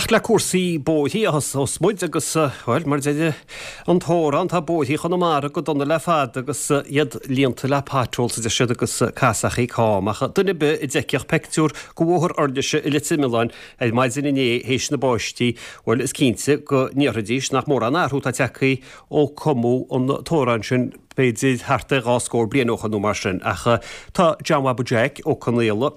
Ach le cúrsaí bóithrí a thosós muid agus, bhuel, mar a deir an t-amhrán, tá bóithrí Chonamara go dona le fada agus iad líonta le potholes, a deir siad, agus casachaí cam. Ach duine ar bith a d'fheicfeadh peictiúr de Bhóthar Fhornise i Leitir Mealláin ar maidin inné théis na báistí, bhuel, is cinnte go ndéarfaidís nach mórán athrú atá tagtha ó cumadh an t-amhrán sin b'fhéidir thart ar dhá scór bliain ó shoin nó mar sin. Ach tá John Bhaba Jeaic Ó Conaola,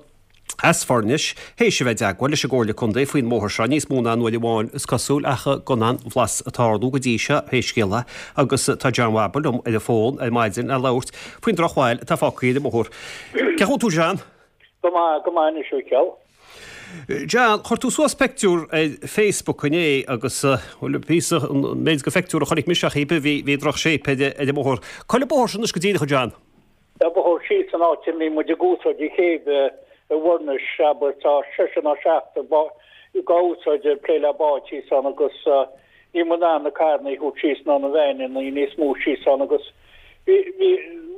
as Foirnis, théis a bheith i dteagmháil leis an gComhairle Contae faoin mbóthar seo níos mó ná an uair amháin is cosúil ach gan aon bhlas ag tarlú go dtí seo pé scéal é agus tá John Bhaba liom ar an bhfón ar maidin le labhairt faoin drochbhail atá fágtha ar an mbóthar. Cén chaoi a bhfuil tú John? Go maith, go maith anois a Mhícheáil. John, chuir tú suas peictiúr ar Facebook inné agus, bhuel, píosa, an méid de pheictiúr a chonaic mise ach bhí, bhí droch shape ar an mbóthar. Cá bhfuil an bóthar sin anois go díreach a John? Tá bóthar síos an áit a mbíonn muid ag úsáid an chéibh i bhFornais, abair, tá seisear nó seachtar dhá úsáid ag plé le báid thíos ann agus níl muid in ann na carranna a thabhairt síos ná na veaineanna níos mó síos ann agus bhí, bhí,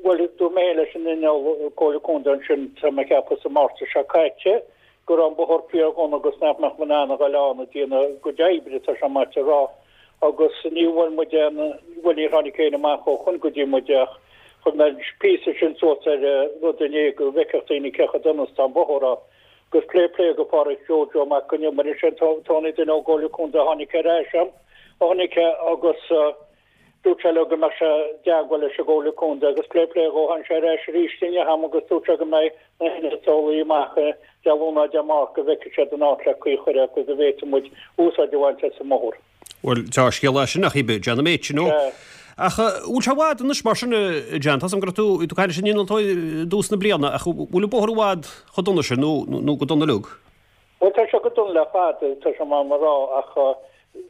bhuel, dúirt mé leis an inneall Comhairle Contae ansin, tá mé ag ceapadh sa Márta seo caite, go raibh an bóthar fíor dhona agus nach mbeadh muid in ann a ghoil ann ag déanamh a gcuid oibre, tá sé maite a rá. Agus ní bhfuair muid aon, bhuel níor tháinig éinne amach ó shoin go dtí muid ach chuir mé an píosa sin suas ar an rud inné go bhfeicfeadh daoine cé chomh dona is atá an bóthar ann. Agus plé plé go Páraic Joe Joe Mac Con Iomaire sin Tony duine ón gComhairle Contae a tháinig ar ais a'm, a tháinig agus Dúirt sé leo go mbeadh sé i dteagmháil leis an gComhairle Contae agus plé plé dhó tháinig sé ar ais arís inniu a'm agus dúirt sé go mbeidh na hinnealtóirí amach Dé Luain nó Dé Máirt go bhfeicfidh siad an áit le caoi a chur air go bhféadfaidh muid úsáid a bhaint as an mbóthar. Bhuel, dea-scéal é sin ach oiread, John an méid sin, ó. Ach bhfuil sé i bhfad anois mar sin, a John? Tá 's agam go raibh tú ag caint leis an innealtóir i dtús na bliana ach bhfuil an bóthar i bhfad chomh dona sin nó nó go dona uilig? Bhuel, tá sé go dona le fada, tá sé maith a rá, ach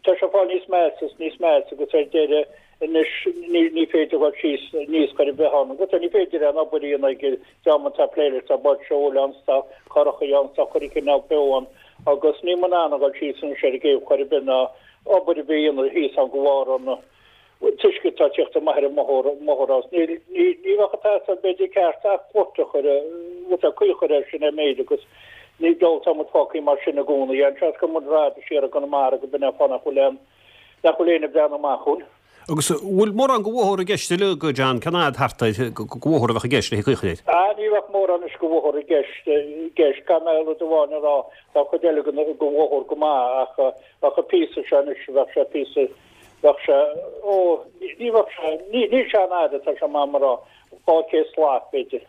tá sé ag fáil níos measa is níos measa agus ar deireadh anois ní ní féidir dhul síos níos chor ar bith ann. Agus ní féidir aon obair a dhéanamh ag an dream atá ag plé leis, tá báid seoil ann, tá curachaí ann, tá chuile chineál beo ann agus níl muid in ann a dhul síos anois ar an gcéibh chor ar bith ná obair ar bith a dhéanamh thíos ann de bharr an t-uisce atá ag teacht amach ar an mbóthar as. Ní bheadh ag teastáil b'fhéidir ceart ach port a chur, rud ar caoi a chur air sin ar méid agus ní dóigh tá muid fágtha mar sin i gcónaí. An seans go muid rad siar i gConamara go b'in é an fáth nach bhfuil aon, nach bhfuil éinne ag breathnú amach chugainn. Agus an bhfuil mórán de bhóthar i gceist uilig, a John, cén fhad thart air de bhóthar a bheadh i gceist le caoi a chur air? Ah, ní bheadh mórán anois de bhóthar i gceist, i gceist. Caithfidh mé rud amháin a rá, tá an chuid eile de bhóthar go maith ach bheadh an píosa seo anois, bheadh sé píosa, Bheadh sé, ó, ní bheadh sé, ní, níl sé an-fhada, tá sé maith a rá, 200 slat, b'fhéidir.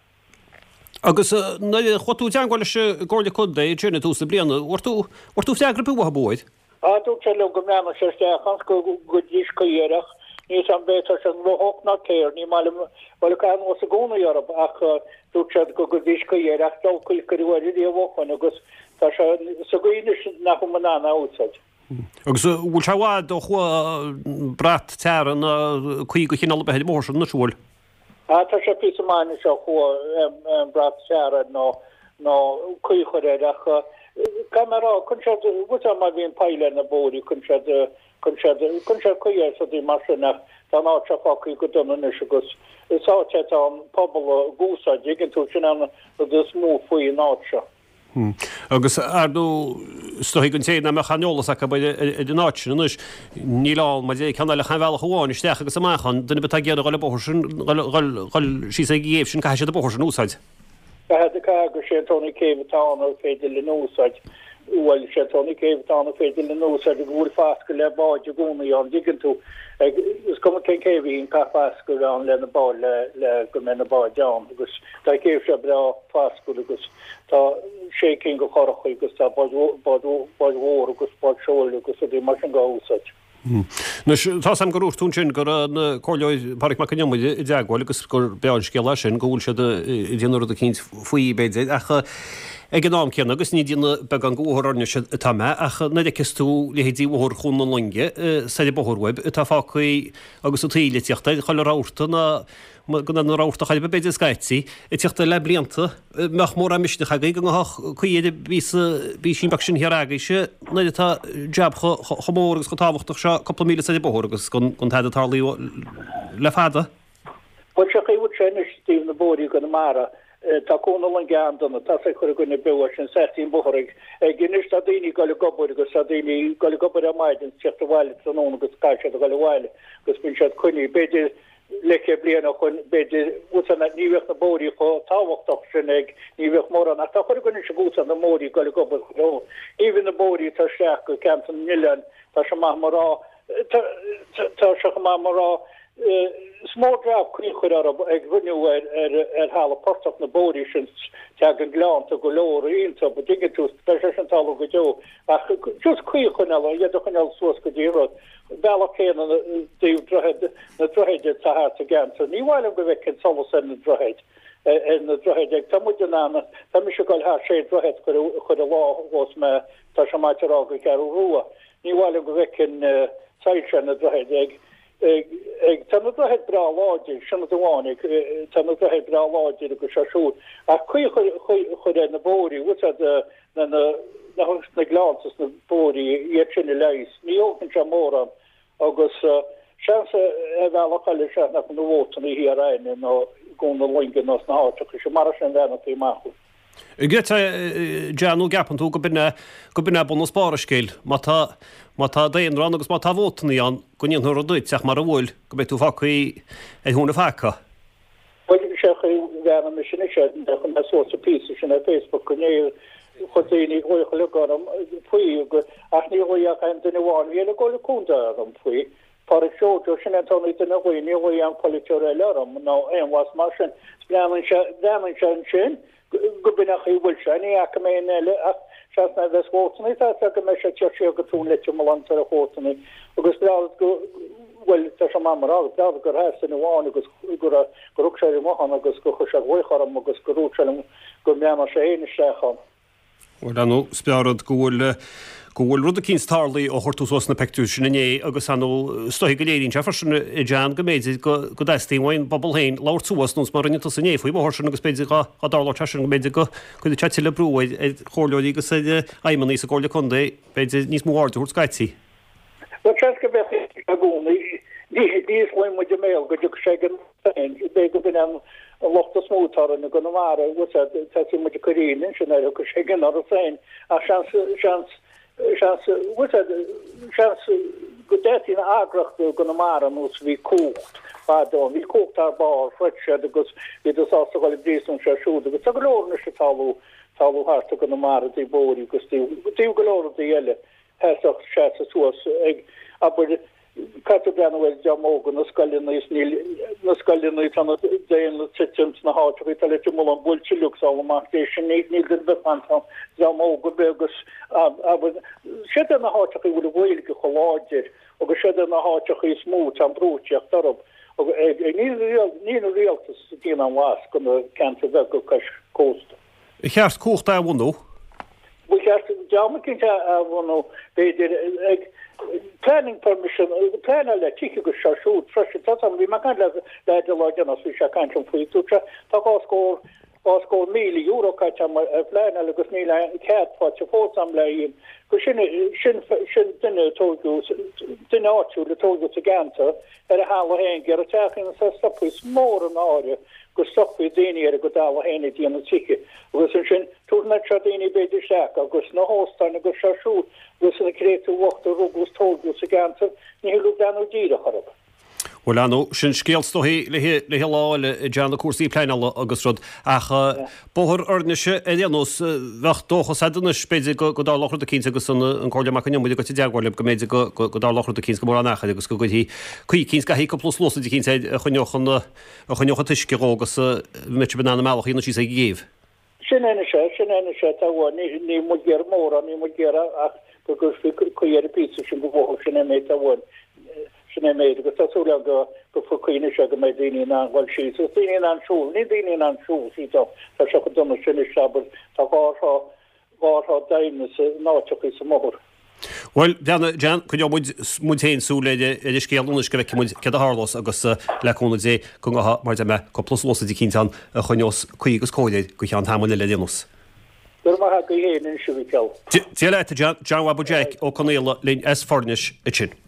Agus nuair a chuaigh tú i dteagmháil leis an gComhairle Contae ansin i dtús na bliana, bhfuair tú, bhfuair tú freagra ar bith uathu air? Á, dúirt sé liom go mbreathnódh sé isteach ann, go gcuirfidís caoi air ach níl 's a'm b'fhéidir tá sé gnóthach ná céard, ní maith liom, bhuel ag caitheamh anuas i gcónaí orthu ach dúirt siad go gcuirfidís caoi air ach diabhal caoi a cuireadh air riamh ó shoin agus tá sé sa gcaoi anois nach bhfuil muid in ann é a úsáid. Agus an bhfuil sé i bhfad ó chuaigh brat teara ná caoi de chineál ar bith ar an mbóthar sin anois, an bhfuil? Ah, tá sé píosa maith anois ó chuaigh an brat teara nó nó caoi a chur air ach caithfidh mé a rá, cuireann siad, bhfuil sé má bhíonn poill ar na bóithrí, cuireann siad, cuireann siad, cuireann siad caoi air is rudaí mar sin ach tá an áit seo fágtha go dona anois agus is áit é atá an pobal ag úsáid, dtuigeann tú, sin an rud is mó faoi an áit seo. Agus, ar ndóigh, is dóigh don té nach mbeadh aon eolas acu ar an áit sin anois, níl ann mar deir ceann eile ach aon bhealach amháin isteach agus amach ann. Duine ar bith atá ag iarraidh a dhul an bóthar sin, dhul síos ag an gcéibh sin, caithfidh siad an bóthar sin a úsáid. Caithfidh, caithfidh, agus sé an t-aon céibh atá ann ar féidir linn a úsáid. Bhuel, sé an t-aon céibh atá ann ar féidir linn a úsáid go bhfuil fascadh le báid i gcónaí ann, dtuigeann tú. Is cuma cén céibh í, an caithfidh fascadh a bheith ann le na báid, le go mbeidh na báid ann agus tá an chéibh seo breá fascúil agus Tá sé cinn de churachaí agus tá báid mhór agus báid seoil agus rudaí mar sin dhá úsáid. Anois, tá 's a'm gur dhúirt tú ansin go raibh an Comhairleoir Pádraig Mac Con Iomaire i dteagmháil agus gur breá an scéal é sin, go bhfuil siad ag déanamh rud eicínt faoi, b'fhéidir, ach ag an am céanna, agus ní ag déanamh beagán de Bhóthar Fhoirnis atá mé, ach nuair a fheiceas tú leithéidí Bhóthar Chuan na Loinge soir an bóthar uaibh atá fágtha agus an taoille ag tíocht air, chuile rabharta ná gan aon rabharta chor ar bith b'fhéidir scaití, ag tíocht air le blianta, mbeadh mórán misnigh agaibh go ngabhfadh caoi ar an bpíosa, bpísín beag sin thiar agaibhse nuair atá jab chomh mór agus chomh tábhachtach seo cúpla míle soir an bóthar agus gan tada tarlaithe le fada. Bhuel, sé chaoi a bhfuil sé anois i dtaobh na bóithrí i gConamara. Tá Cuan na Loinge an-dona, tá sé ag cur i gcoinne beo sin seachtain bóthar ag ag anois tá daoine ag dul ag obair agus tá daoine ag dul ag obair ar maidin is teacht abhaile tráthnóna agus caithfidh siad a dhul abhaile agus bíonn siad coinnithe b'fhéidir leathchéad bliain ó shoin b'fhéidir úsáid ní bheadh na bóithrí chomh tábhachtach sin ag ní bheadh mórán ach tá chuile dhuine anois ag úsáid na mbóithrí ag dul ag obair chuile shórt. Even na bóithrí atá isteach go ceantar na n-oileán tá sé maith mar rá tá tá sé chomh maith mar rá Is mór jab caoi a chur orthu ag rinneadh ar ar thalamh portach na bóithrí sin teagann gleannta go leor iontu an dtuigeann tú beidh sé sin tarlú go deo ach just caoi a choinneáil iad a choinneáil suas go dtí rud bealach céanna dtaobh droichead na droichid atá thart sa gceantar ní mhaith liom go bhfeicfinn solas ar na droichid ar na droichid ag tá muid in ann tá mise ag dul thar sé droichead chuile lá ghabhas mé tá sé maith a rá go Ceathrú Rua ní mhaith liom go bhfeicfinn soilse ar na droichid ag Ag, tá na droichid breá láidir, sin rud amháin, ag, tá na droichid breá láidir agus seo siúd, ach caoi a chur ar na bóithrí, bhfuil a fhios a'd, na, na, na, na gleannta is na bóithrí, iad sin a leigheas. Ní thógann sé mórán agus seans ar bhealach eile sea nach na vótanna thiar againne nó i gCuan na Loinge nó sna háiteacha sin, mar sin a bheannacht amach. An gcreidfeá, John, nó gceapann tú go b'in é, go b'in é bunús barr an scéil? Má tá, má tá daonra ann agus má tá vótannaí ann, go ndéanfaidh rud duit, ach mara bhfuil, go mbeidh tú fágtha ar thóin an phaca. Bhuel, sé chaoi bheannaigh mise anois air, nuair a chuir mé suas an píosa sin ar Facebook inné, chuir daoine glaoch uilig orm faoi, ach níor ghlaoigh ach aon duine amháin, bhí ar an gComhairle Contae orm faoi, Pádraig Seoige, sin é an t-aon duine a ghlaoigh, níor ghlaoigh aon pholaiteoir eile orm nó aon mhaith mar sin. Breathnaíonn sé, breathnaíonn sé ansin go b'in an chaoi a bhfuil sé, ní fhaca mé aon eile ach seans nuair a bheas vótannaí, tá fhios go mbeidh sé ag tíocht siar go Tóin Leitir Mealláin tar éis vótannaí agus breá go, bhuel tá sé maith mar rá, breá gur sheas duine amháin agus gur gur thug sé ar an nguthán agus gur chuir sé glaoch orm agus gur dhúirt sé liom go mbreathnódh sé féin isteach ann. Bhuel, ar ndóigh, is breá an rud go bhfuil, go bhfuil rud eicínt tarlaithe ó chuir tú suas na peictiúir sin inné agus ar ndóigh, is dóichí go léiríonn sé freisin, a John, go mb'fhéidir go, go dteastaíonn uaidh an bpobal féin labhairt suas, nós mar a rinne tusa inné faoi bhóthar sin agus b'fhéidir dá, dá dtarlódh sé sin go mb'fhéidir go gcuirfeadh sé tuilleadh brú ar, ar chomhairleoirí agus ar fheidhmeannaigh sa gComhairle Contae, b'fhéidir níos mó aird a thabhairt scaití. Bhuel, seans go mbeadh i gcónaí. Ní osclaíonn muid an béal go dtiocfaidh sé ag an féin. B'fhéidir go b'in an locht is mó atá orainn i gConamara, bhfuil a fhios a'd, tosaíonn muid ag cur ionadh ansin nuair a thiocfaidh sé ag an doras féin. Ach seans, seans, seans, bhfuil a fhios a'd, seans go dteastaíonn eagraíocht i gConamara nós bhí cumhacht fadó ann. Bhí cumhacht thar barr, throid siad agus bhíodar sásta dhul i bpríosún seo siúd agus tá go leor anois ag tarlú, tarlú thart i gConamara i dtaobh bóithrí agus i dtaobh go leor rudaí eile. Sheasfadh seasamh suas ag abair caithfidh tú breathnú ar dream óga na scoileanna is níl na scoileanna tá na daonra ag titim sna háiteacha tá Leitir Mealláin buailte uilig sall amach dé sin níl duine ar bith fanta ann dream óg ar bith agus abair siad iad na háiteacha a bhfuil an Ghaeilge chomh láidir agus siad iad na háiteacha is mó tá an brú ag teacht orthu níl an rialtas ag déanamh aon mhaith do na ceantair bheaga cois cósta. Ar cheart cumhacht a athbhunú? Ba cheart dream eicínt a athbhunú, b'fhéidir, ag planning permission, pleanáil le tithe agus seo siúd freisin. Tá bhí mé ag caint le leaid an lá deireanach bhí sé ag caint liom faoi, dúirt sé, tá €20,000 caite agam ar phleanáil agus níl aon cead faighte fós agam le haghaidh go sin, sin, sin duine a tóigeadh, duine áitiúil a tóigeadh sa gceantar ar a thalamh féin, ag iarraidh teach a dhéanamh is stopfaí, is mór an náire go stopfaí daoine ar a gcuid talamh féin ag déanamh tithe agus ansin tabharfaidh seo daoine b'fhéidir isteach agus na hóstáin agus seo siúd agus na créatúir bhochta a rugadh is tóigeadh sa gceantar, ní thig leo breathnú díreach orthu. Bhuel, ar ndóigh, sin scéal is dóichí le haghaidh lá eile, a John, na cúrsaí pleanála agus rud, ach bóthar Fhoirnise ar aon nós, bheadh dóchas a'd anois, b'fhéidir go dtarlódh rud eicínt agus an Comhairleoir Mac Con Iomaire ag goil i dteagmháil libh go mb'fhéidir go dtarlódh rud eicínt go mórán achair agus go gcuirfí caoi eicínt, go gcaithfí cúpla sluasaid eicínt air a choinneodh an a choinneodh an t-uisce dhó agus a mbeadh sibh in ann an mbealach a dhéanamh síos ag an gcéibh. Sin é anois é, sin é anois é, tá uainn, ní, níl muid ag iarraidh mórán, níl muid ag iarraidh ach go gcuirfí caoi ar an bpíosa sin go bhóthar, sin é an méid atá uainn, sin é an méid, agus tá súil agam go, go gcuirfí caoi anois air go mbeidh daoine in ann dhul síos, agus daoine in ann siúl, níl daoine in ann siúl síos ann, tá sé chomh dona sin anois, abair, tá dhá thrá, dhá thrá doimhne sa, in áiteachaí sa mbóthar. Bhuel, a John, coinneoidh muid, muid féin súil ar ar an scéal anois go bhfeicfidh muid céard a tharlós agus le cúnamh Dé go ngabhfaidh, mar a deir mé, cúpla sluasaid eicínt ann a choinneos caoi agus cóir air go cheann tamaill eile ar aon nós. Go raibh maith agat féin anois, a Mhichíl. Dia leat, a John. John Bhabaí Jeaic Ó Conaola linn as Foirnis ansin.